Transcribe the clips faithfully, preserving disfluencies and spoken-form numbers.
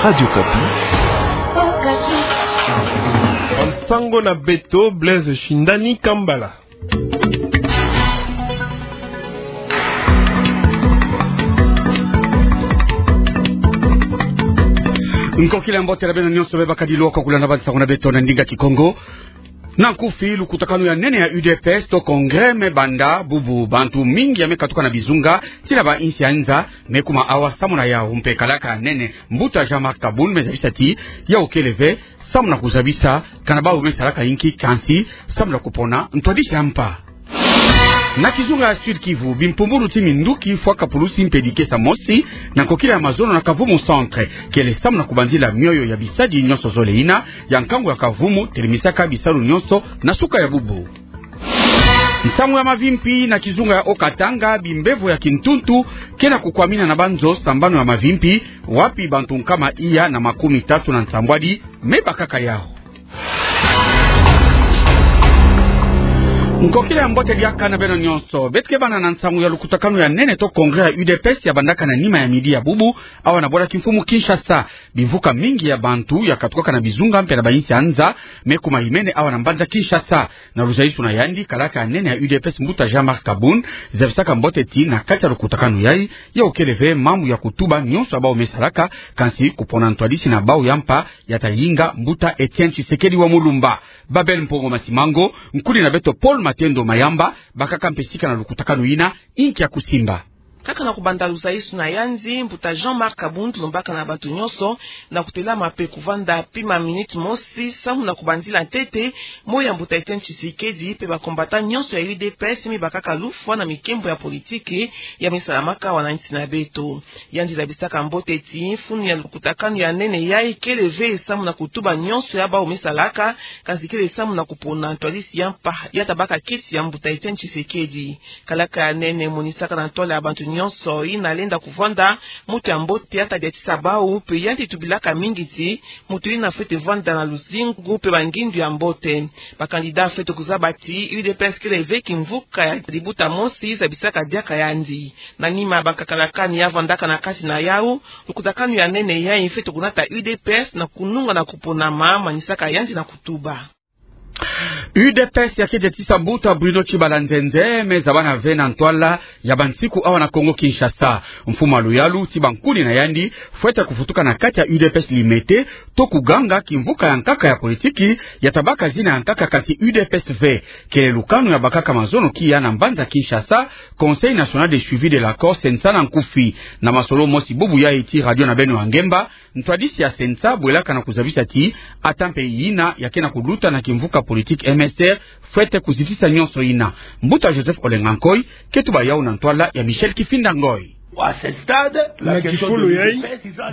Radio Okapi. Okapi. Nsangu na beto, Blaise Shindani Kambala. Nkokila ya mbote na beno nyonso be bakadilu ko kulanda bansangu na beto na ndinga Kikongo. Na nkufi, lukutakanu ya nene ya U D P S to Congrès me banda bubu. Bantu mingi ya me katuka na bizunga ti na bainsi ya nza, me kuma awa samu na yawu. Mpe kalaka nene, mbuta Jean-Marc Kabund, me zabisa ti yawu kele ve samu na kuzabisa kana bawu me salaka inki, kansi samu na kupona ntwadisi ya mpa. Na kizunga ya Sud-Kivu, bimpumbulu ti minduki fwaka pulusi mpedi kesa mosi na nkokila ya mazono na Kavumu Centre, kele samu na kubanzila mioyo ya bisadi nyonso zole ina ya nkangu ya Kavumu, telemisaka bisalu nyonso na suka ya bubu. Nsangu ya mavimpi na kizunga ya Haut-Katanga, bimbevo ya kintuntu ke na kukwamina na banzo sambanu ya mavimpi, wapi bantu nkama iya na makumi tatu na nsambwadi me bakaka yawu. Nkokila ya mbote diaka na beno nyonso. Beto ke bana na nsangu ya lukutakanu ya nene to Congrès ya U D P S ya bandaka na nima ya midi ya bubu, awa na bwala kimfumu Kinshasa. Bimvuka mingi ya bantu ya katukaka na bizunga mpe na bainsi ya nza, me kuma imene awa na mbanza Kinshasa. Na luzayisuna yandi, kalaka ya nene ya U D P S, mbuta Jean-Marc Kabund, zabisaka mbote ti na kati ya lukutakanu yayi, yawu kele ve mambu ya kutuba nyonso ya bawu me salaka, kansi kupona ntwadisi na bawu ya mpa ya tayinga mbuta Etienne Tshisekedi wa Mulumba. Babel Mpongo Masimango, nkuni na beto Paul Matendo Mayamba, bakaka mpe sika na lukutakanu yina, inki ya kusimba. Kaka na kubanda luzayisuna yandi, mbuta Jean-Marc Kabund lombaka na bantu nyonso na kutelama mpe kuvanda pima minute mosi samu na kubanzila ntete moyo ya mbuta Etienne Tshisekedi mpe ba combattants nyonso ya U D P S me bakaka lufwa na mikembo ya politiki ya me salamaka awa na nsi na beto. Yandi zabisaka mbote ti mfunu ya lukutakanu ya nene yayi kele ve samu na kutuba nyonso ya bawu me salaka, kansi kele samu na kupona ntwadisi ya mpa ya tabaka kiti ya mbuta Etienne Tshisekedi. Kalaka ya nene monisaka na ntwala ya bantu nyonso yina lenda kuvanda mutu ya mbote ya tadiatisa bawu, mpe yandi tubilaka mingi ti mutu yina fwete vanda na luzingu mpe bangindu ya mbote. Ba candidats fwete kuzaba ti U D P S kele ve kimvuka ya libuta mosi, zabisaka diaka yandi. Na nima ya bankakalakani ya vandaka na kati na yawu, lukutakanu ya nene yayi fwete kunata U D P S na kununga na kuponama, manisaka yandi na kutuba. U D P S ya kediatisa mbuta Bruno Tshibala nzenze, me zabana ve na ntwala ya bansiku awa na Kongo Kinshasa. Mfumu ya luyalu ti bankuni na yandi fwete kufutuka na kati ya U D P S Limete, to kuganga kimvuka ya nkaka ya politiki ya tabaka zina ya nkaka, kansi U D P S ve. Kele lukanu ya bakaka mazono kia na mbanza Kinshasa, Conseil National de Suivi de l'Accord, CENSA na nkufi. Na masolo mosi bubu yayi ti radio na beno ya ngemba, ntwadisi ya CENSA bwelaka na kuzabisa ti ata mpe yina ya ke na kuluta na kimvuka politiki M S R fwete kuzitisa nyonso yina. Mbuta Joseph Olenga Nkoy ke tuba yawu na ntwala ya Michel Kifinda Ngoy. Na kifulu yayi,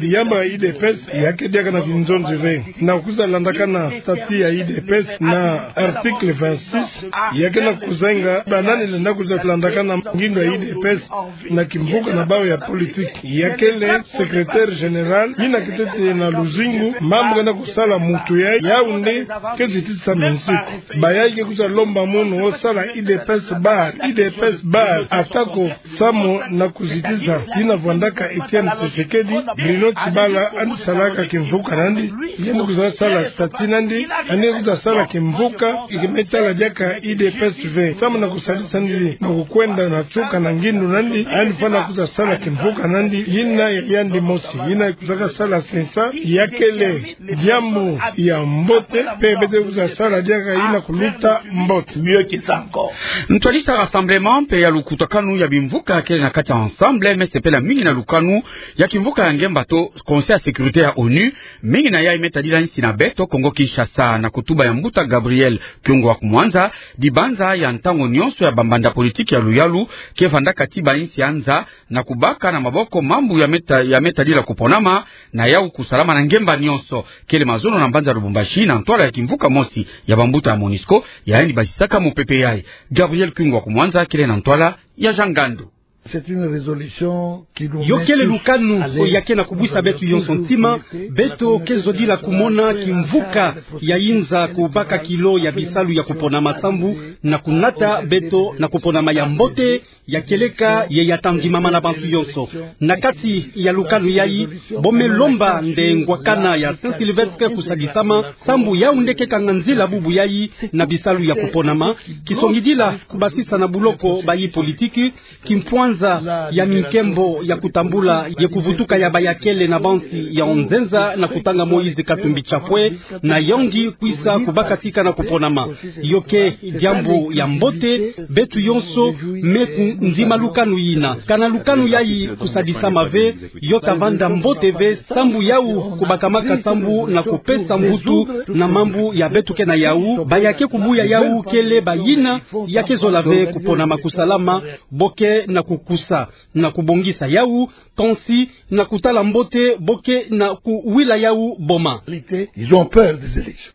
diambu ya U D P S ya ke diaka na kinzonzi ve. Na kwiza landakana statut ya U D P S na article vingt-six, ya ke na kuzanga banani lenda kwiza landakana ngindu ya U D P S na kimvuka na bawu ya politiki. Ya kele secrétaire général, yina ketete na luzingu mambu ke na kusala mutu yayi, yawu nde ke zitisa minsiku. Bayayi ke kwiza lomba munu: o sala U D P S bar, U D P S bar, ata ko samu na kuzitisa yina vandaka Etienne Tshisekedi. Bruno Tshibala yandi salaka kimvuka nandi, yandi kwiza sala statut nandi, yandi kwiza sala kimvuka ya ke me tala diaka U D P S ve. Samu na kusadisa nandi na kukwenda na nsuka na ngindu nandi, yandi fwana kwiza sala kimvuka nandi, yina ya yandi mosi, yina kwizaka sala CENSA, ya kele diambu ya mbote, mpe beto kwiza sala diaka yina kuluta mbote. Mieux que ça encore. Ntwadisi ya rassemblement mpe ya lukutakanu ya bimvuka kele na kati ya Ensemble me sepela mingi na lukanu ya kimvuka ya ngemba to Conseil ya sécurité ya ONU, mingi na yayi me tadila nsi na beto Kongo Kinshasa. Na kutuba ya mbuta Gabriel Kyungu wa Kumwanza, dibanza ya ntangu nyonso ya bambanda politiki ya luyalu ke vandaka ti bainsi ya nza na kubaka na maboko mambu ya me ta-, ya me tadila kuponama na yawu kusalama na ngemba nyonso. Kele mazono na mbanza Lubumbashi na ntwala ya kimvuka mosi ya bambuta ya MONUSCO, ya yandi basisaka mupepe yayi. Gabriel Kyungu wa Kumwanza kele na ntwala ya Jean Ngandu. C'est une résolution qui nous met tous à l'aise. Yo kele lukanu ya ke na kubwisa beto yonso ntima, beto ke zodila kumona kimvuka ya inza kubaka kilo ya bisalu ya kuponama sambu na kunata beto na kuponama ya mbote, ya kieleka ye ya ta ndimama na bantu yonso. Na kati ya lukanu yayi, bo me lomba nde ngwakana ya Saint-Sylvestre kusadisama, sambu yau nde ke kanga nzila bubu yayi na bisalu ya kuponama, kisongidila kubasisa na buloko bayi politiki, kimpwanza ya minkembo ya kutambula ye kuvutuka ya bayakele na bansi ya onzenza na kutanga Moïse Katumbi Chapwe, na yandi kwisa kubakatika na kuponama. Yo ke diambu ya mbote, beto yonso me kundima lukanu yina. Kana lukanu yayi kusadisama ve, yo ta vanda mbote ve, sambu yau kubakamaka sambu na kupesa mvutu na mambu ya beto ke na yau, ba ya ke kubuya yau kele bayina ya ke zola ve kuponama kusalama, bo ke na kukusa na kubongisa yau, kansi na kutala mbote bo ke na kuwila yau boma. Ils ont peur des élections.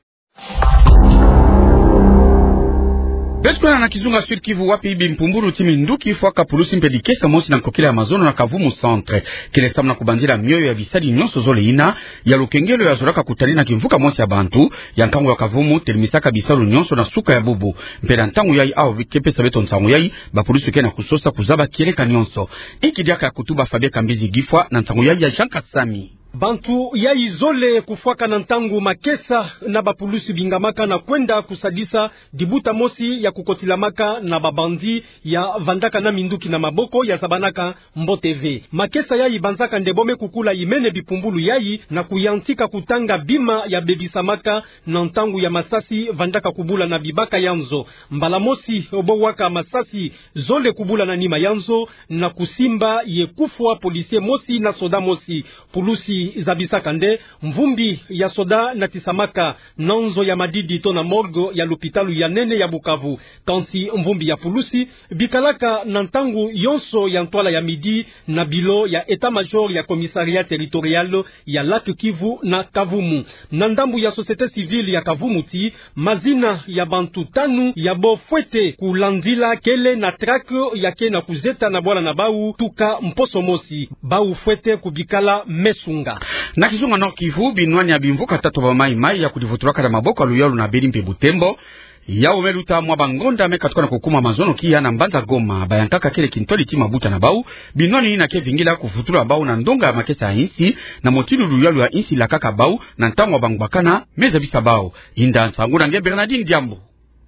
Beto kwenda na kizunga Sud-Kivu, wapi bimpumbulu ti minduki, fwaka, pulusi mpe dikesa mosi na nkokila ya mazono na Kavumu Centre. Kele samu na kubandila mioyo ya bisadi nyonso zole yina ya lukengelo ya zolaka kutani na kimvuka mosi ya bantu ya nkangu ya Kavumu, telemisaka bisalu nyonso na suka ya bubu. Mpe na ntangu yayi, awa ke pesa beto nsangu yayi, bapulusi ke na kusosa kuzaba kieleka nyonso. Inki diaka ya kutuba Fabien Kambizi Gifwa na nsangu yayi ya Jean Kasami. Bantu yayi zole kufwaka na ntangu makesa na bapulusi bingamaka na kwenda kusadisa dibuta mosi ya kukotilamaka na babandi ya vandaka na minduki na maboko ya zabanaka mbote ve. Makesa yayi banzaka nde bo me kukula imene bipumbulu yayi na kuyantika kutanga bima ya bebisamaka na ntangu ya masasi vandaka kubula na bibaka ya nzo. Mbala mosi bo waka masasi zole kubula na nima ya nzo na kusimba ye kufwa policier mosi na soda mosi. Pulusi zabisaka nde mvumbi ya soda natisamaka na nzo ya madidi to na morgue ya lupitalu ya nene ya Bukavu. Kansi mvumbi ya pulusi bikalaka na ntangu yonso ya ntwala ya midi na bilo ya état-major ya commissariat territorial ya Lac Kivu na Kavumu. Na ndambu ya société civile ya Kavumu ti, mazina ya bantu tanu ya bo fwete kulandila kele na traque ya ke na kuzeta na bwala na bau tuka mposo mosi. Bau fwete kubikala mesunga. Na kizunga Nord-Kivu, binwani ya bimvuka tatu ya ba Maï-Maï ya kudivutulaka na maboko ya luyalu na Beni mpe Butembo, yau me luta mwa bangonda me katuka na kukuma mazono kia na mbanza Goma. Bayankaka kele kintwadi ti mabuta na bau, binwani yina ke vingila kuvutula bau na ndonga ya makesa ya insi, na mutindu luyalu ya insi lakaka bau na ntangu ya bangwakana. Me zabisa bau. Inda nsangu na nge Bernardine Diambu.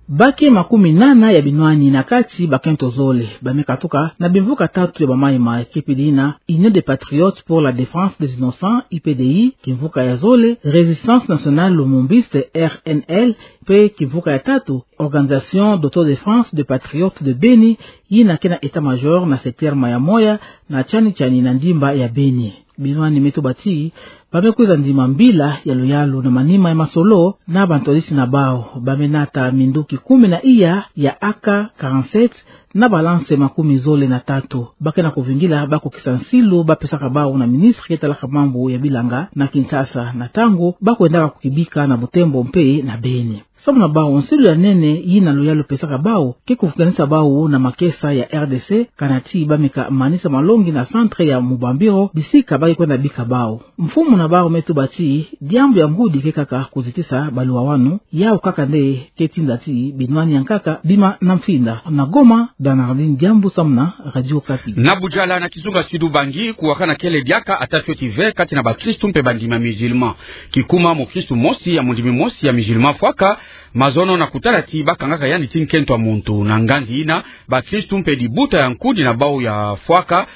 Ba ke makumi nana ya binwani na kati bakento zole ba me katuka na bimvuka tatu ya ba Maï-Maï, ke pedi na Union des Patriotes pour la Défense des Innocents, U P D I, kimvuka ya zole Résistance Nationale Lumumbiste, R N L, mpe kimvuka ya tatu Organisation d'Autodéfense des Patriotes de Beni, yina ke na état-major na secteur Mayamoya, na tiani tiani na ndimba ya Beni. Binwani me tuba ti ba me kwiza ndima mbila ya luyalu na manima ya masolo na bantwadisi na bau. Ba me nata minduki kumi na iya ya A K quarante-sept na ba lance makumi zole na tatu. Ba ke na kuvingila bakukisa nsilu ba pesaka bau na ministre ke talaka mambu ya bilanga na Kinshasa, na ntangu ba kwendaka kukibika na Butembo mpe na Beni. Samu na bau, nsilu ya nene yina luyalu pesaka bau ke kuvukanisa bau na makesa ya R D C, kana ti ba me ka manisa malongi na centre ya Mubambiro, bisika ba ke kwenda bika bau. Mfumu na bau me tuba ti diambu ya ngudi ke kaka kuzitisa baluwawanu, yau kaka nde ke tinda ti binwani yankaka bima na mfinda. Na Goma, Bernardine Diambu samu na Radio Okapi. Na Budjala na kizunga Sud-Ubangi, kuwakana kele diaka ata fioti ve kati na bakristu mpe bandimi ya musulman. Kikuma mukristu mosi ya mundimi mosi ya musulman fwaka mazono na kutala ti ba kangaka yandi ti nkento ya muntu. Na nganzi yina, bakristu mpe dibuta ya nkudi na bau ya fwaka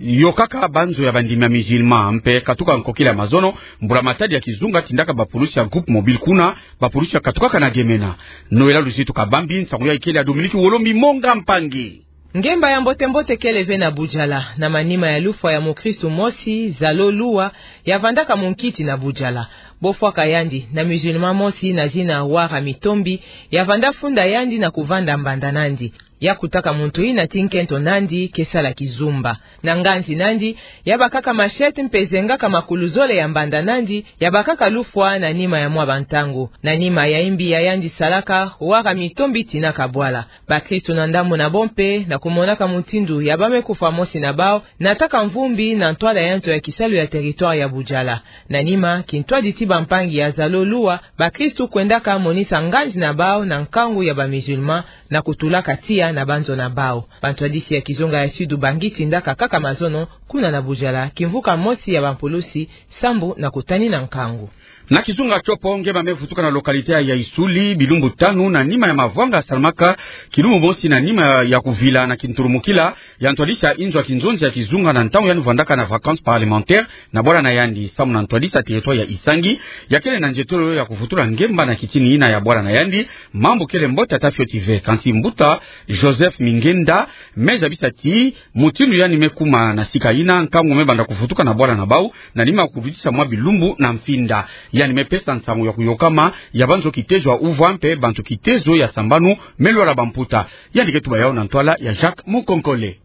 yokaka banzo ya bandimi ya musulman. Mpe katuka nkokila ya mazono, mbula matadi ya kizunga tindaka bapulusi ya groupe mobile kuna, bapulusi ya katukaka na Gemena. Noëlla Luzitu Kabambi, nsangu yayi kele ya Dominique Wolombi Monga Mpangi. Ngemba ya mbote-mbote kele ve na Budjala, na manima ya lufwa ya mukristu mosi, Zalo Lua, ya vandaka munkiti na Budjala. Bo fwaka yandi na musulman mosi na zina Wara Mitombi, ya vanda funda yandi na kuvanda mbanda nandi. Ya kutaka muntu yina ti nkento nandi ke sala kizumba. Na nganzi nandi, ya bakaka machette mpe zengaka makulu zole ya mbanda nandi, ya bakaka lufwa na nima ya mwa bantangu. Na nima ya yimbi ya yandi salaka, waka mito mbi tinaka bwala. Bakristu na ndambu na bo mpe, na kumonaka mutindu ya ba me kufwa mosi na bau, nataka mvumbi na ntwala ya nzo ya kisalu ya territoire ya Bujala. Na nima, kintwadi ti bampangi ya zalo luwa, bakristu kwendaka monisa nganzi na bau na nkangu ya ba musulman, na kutulaka tiya na banzo na bau. Bantwadisi ya kizunga ya Sud bangi tindaka kaka mazono, kuna na Bujala, kimvuka mosi ya bampulusi, sambu na kutani na nkangu. Na kizunga Tshopo, nge ba me vutuka na localité ya Issouli, bilumbu tanu na nima ya mavwanga salamaka, kilumbu mosi na nima ya kuvila na kintulumukila ya ntwadisi ya inzo ya kinzonzi ya kizunga na ntangu yandi vwandaka na vacances parlementaires na bwala na yandi, samu na ntwadisi ya territoire ya Issangui, ya kele na nzietolo ya kuvutula ngemba na kitini yina ya bwala na yandi, mambu kele mbote ata fioti ve. Kansi mbuta Joseph Mingenda me zabisa ti, mutindu yandi me kuma na sika yina, nkangu me banda kuvutuka na bwala na bau, na nima ya kududisa mwa bilumbu na mfinda. Yandi me pesa nsangu ya kuyokama ya banzo kitezo ya uvwa mpe bantu kitezo ya sambanu me lwala bamputa. Yandi ke tuba yawu na ntwala ya Jacques Mukonkole.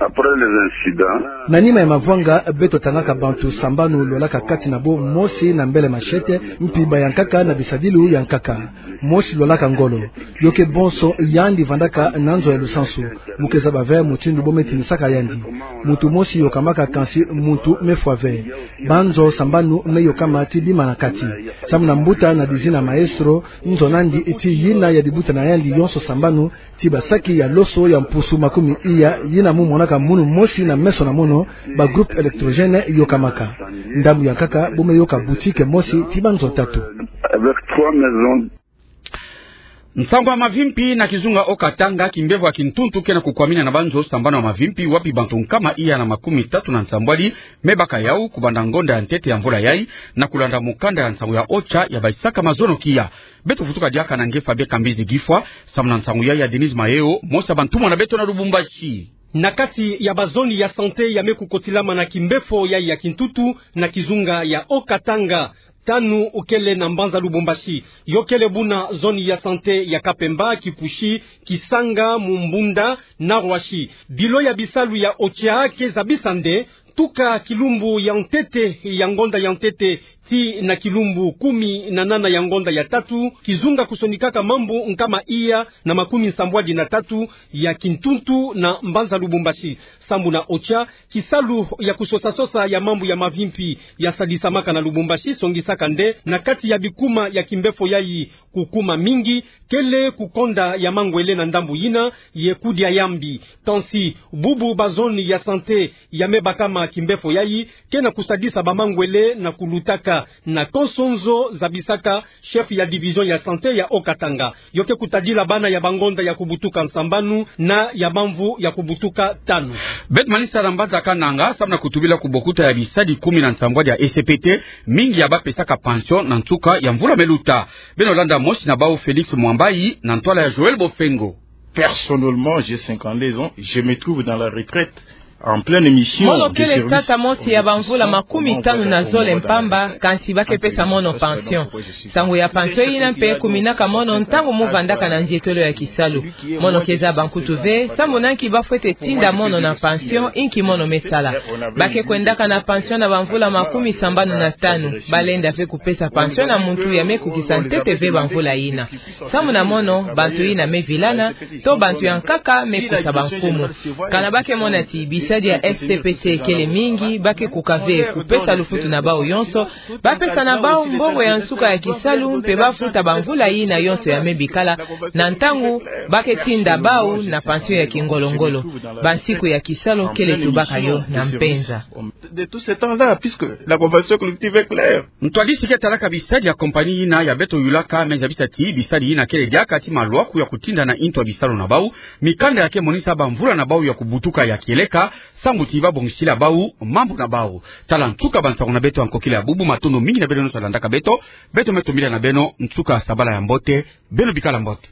Après les incidents. Na nima ya mavwanga, beto tangaka bantu sambanu lwalaka kati na bo, mosi na mbele machette, mpiba ya nkaka na bisadilu ya nkaka. Mosi lwalaka ngolo. Yo ke bonso yandi vandaka na nzo ya lusansu. Bo ke zaba ve mutindu bo me tinisaka yandi. Muntu mosi yokamaka kansi muntu me fwa ve. Banzo sambanu me yokama ti bima na kati. Samu na mbuta Nadizina Maestro, nzo nandi ti yina ya dibuta na yandi yonso sambanu, ti basaki ya loso ya mpusu makumi iya, yina mu monaka munu mosi na meso na mono, ba groupe électrogène yokamaka. Ndambu ya nkaka bo me yoka boutique mosi ti banzo tatu. Avec trois maisons. Nsangu ya mavimpi na kizunga Haut-Katanga, kimbevo ya kintuntu ke na kukwamina na banzo sambanu ya mavimpi, wapi bantu nkama iya na makumi tatu na nsambwadi me baka yawu kubanda ngonda ya ntete ya mvula yayi, na kulanda mukanda ya nsangu ya OCHA ya bayisaka mazono kiya. Beto vutuka diaka na nge Fabien Kambizi Gifwa, samu na nsangu yayi ya Denise Mayo, mosi ya bantumwa na beto na Lubumbashi. Na kati ya ba zone ya santé ya me kukotilama na kimbevo yayi ya kintuntu na kizunga ya Haut-Katanga, tanu kele na mbanza Lubumbashi. Yo kele buna zone ya santé ya Kapemba, Kipushi, Kisanga, Mumbunda na Roissy. Bilo ya bisalu ya OCHA ke zabisa nde, tuka kilumbu ya ntete ya ngonda ya ntete tii na kilumbu kumi na nana ya ngonda ya tatu, kizunga kusonikaka mambu nkama iya na makumi nsambwadi na tatu ya kintuntu na mbanza Lubumbashi. Sambu na OCHA, kisalu ya kusosa-sosa ya mambu ya mavimpi ya sadisamaka na Lubumbashi songisaka nde, na kati ya bikuma ya kimbevo yayi kukuma mingi, kele kukonda ya mangwele na ndambu yina ye kudia ya mbi. Kansi bubu ba zone ya santé ya me bakama kimbevo yayi ke na kusadisa ba mangwele na kulutaka na konso nzo, zabisaka chef ya division ya santé ya Haut-Katanga. Yo ke kutadila bana ya bangonda ya kubutuka nsambanu na ya bamvu ya kubutuka tanu. Beto manisa na mbanza Kananga, samu na kutubila kubokuta ya bisadi kumi na nsambwadi ya S P T, mingi ya ba pesaka pension na nsuka ya mvula me luta. Beno landa mosi na bau, Félix Mwambayi, na ntwala ya Joël Bofengo. Personnellement, j'ai cinquante-deux ans, je me trouve dans la retraite, en pleine mission. Mono kele tata mosi ya bamvula makumi tanu na zole mpamba, kansi ba ke pesa mono pension. Nsangu ya pension yina mpe kuminaka mono ntangu mu vandaka na nzietolo ya kisalu. Mono ke zaba nkutu ve, samu na nki ba fwete tinda mono na pension, inki mono me sala. Ba ke kwendaka na pension na bamvula makumi sambanu na tanu. Ba lenda ve kupesa pension na muntu ya me kukisa ntete ve bamvula yina. Samu na mono, bantu yina me vilana, to bantu ya nkaka me kusa bankumu. Kana ba ke mona ti bisadi ya S P T kele mingi, ba ke kuka ve kupesa lufutu na bau yonso, ba pesa na bau mbongo ya nsuka ya kisalu, mpe ba futa bamvula yina yonso ya me bikala, na ntangu ba ke tinda bau na pension ya kingolo-ngolo. Bansiku ya kisalu kele tubaka yo na mpenza. De tout ce temps-là, puisque la convention collective est claire. Ntwadisi ke talaka bisadi ya compagnie yina ya beto yulaka me zabisa ti bisadi yina kele diaka ti malwaku ya kutinda na intu ya bisalu na bau, mikanda ya ke monisa bamvula na bau ya kubutuka ya kieleka, sambu ti ba bongisila bau mambu na bau. Tala nsuka bansangu na beto ya nkokila ya bubu, matondo mingi na beno nyonso ya landaka beto, beto me tombila na beno nsuka ya sabala ya mbote, beno bikala mbote.